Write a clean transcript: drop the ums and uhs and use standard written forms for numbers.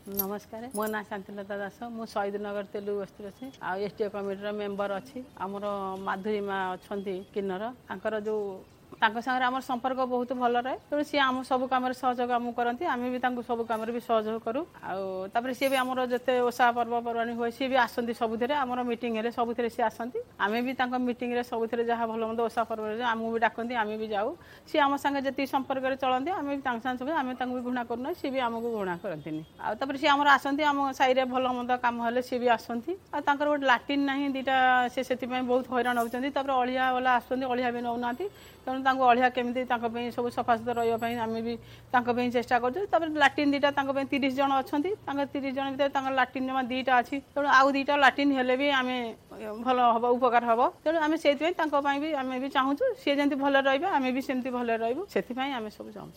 ନମସ୍କାର, ମୋ ନାଁ ଶାନ୍ତିଲତା ଦାସ। ମୁଁ ଶହୀଦନଗର ତେଲୁଗୁ ବସ୍ତିରେ ଅଛି ଆଉ ଏସ୍ ଟି ଓ କମିଟିର ମେମ୍ବର ଅଛି। ଆମର ମାଧୁରୀ ମା ଅଛନ୍ତି କିନ୍ନର, ତାଙ୍କର ଯେଉଁ ତାଙ୍କ ସାଙ୍ଗରେ ଆମର ସମ୍ପର୍କ ବହୁତ ଭଲ ରହେ। ତେଣୁ ସିଏ ଆମ ସବୁ କାମରେ ସହଯୋଗ ଆମକୁ କରନ୍ତି, ଆମେ ବି ତାଙ୍କୁ ସବୁ କାମରେ ବି ସହଯୋଗ କରୁ। ଆଉ ତାପରେ ସିଏ ବି ଆମର ଯେତେ ଓଷା ପର୍ବପର୍ବାଣୀ ହୁଏ ସିଏ ବି ଆସନ୍ତି ସବୁଥିରେ। ଆମର ମିଟିଂ ହେଲେ ସବୁଥିରେ ସିଏ ଆସନ୍ତି। ଆମେ ବି ତାଙ୍କ ମିଟିଂରେ ସବୁଥିରେ ଯାହା ଭଲ ମନ୍ଦ ଓଷା ପର୍ବରେ ଆମକୁ ବି ଡାକନ୍ତି, ଆମେ ବି ଯାଉ। ସିଏ ଆମ ସାଙ୍ଗେ ଯେତିକି ସମ୍ପର୍କରେ ଚଳନ୍ତି ଆମେ ବି ତାଙ୍କ ସାଙ୍ଗେ ସବୁ, ଆମେ ତାଙ୍କୁ ବି ଘୃଣା କରୁନା, ସିଏ ବି ଆମକୁ ଘୃଣା କରନ୍ତିନି। ଆଉ ତାପରେ ସିଏ ଆମର ଆସନ୍ତି ଆମ ସାହିରେ ଭଲ ମନ୍ଦ କାମ ହେଲେ ସିଏ ବି ଆସନ୍ତି। ଆଉ ତାଙ୍କର ଗୋଟେ ଲାଟିନ୍ ନାହିଁ ଦୁଇଟା, ସେ ସେଥିପାଇଁ ବହୁତ ହଇରାଣ ହେଉଛନ୍ତି। ତାପରେ ଅଳିଆ ବାଲା ଆସୁଛନ୍ତି, ଅଳିଆ ବି ନେଉନାହାନ୍ତି। ତେଣୁ ତାଙ୍କୁ ଅଳିଆ କେମିତି ତାଙ୍କ ପାଇଁ ସବୁ ସଫାସୁତୁରା ରହିବା ପାଇଁ ଆମେ ବି ତାଙ୍କ ପାଇଁ ଚେଷ୍ଟା କରୁଛୁ। ତାପରେ ଲାଟିନ୍ ଦୁଇଟା ତାଙ୍କ ପାଇଁ 30 ଜଣ ଅଛନ୍ତି, ତାଙ୍କ 30 ଜଣ ଭିତରେ ତାଙ୍କର ଲାଟିନ୍ ଜମା 2ଟା ଅଛି। ତେଣୁ ଆଉ 2ଟା ଲାଟିନ୍ ହେଲେ ବି ଆମେ ଭଲ ହେବ, ଉପକାର ହେବ। ତେଣୁ ଆମେ ସେଇଥିପାଇଁ ତାଙ୍କ ପାଇଁ ବି ଆମେ ବି ଚାହୁଁଛୁ ସିଏ ଯେମିତି ଭଲରେ ରହିବେ, ଆମେ ବି ସେମିତି ଭଲରେ ରହିବୁ, ସେଥିପାଇଁ ଆମେ ସବୁ ଚାହୁଁଛୁ।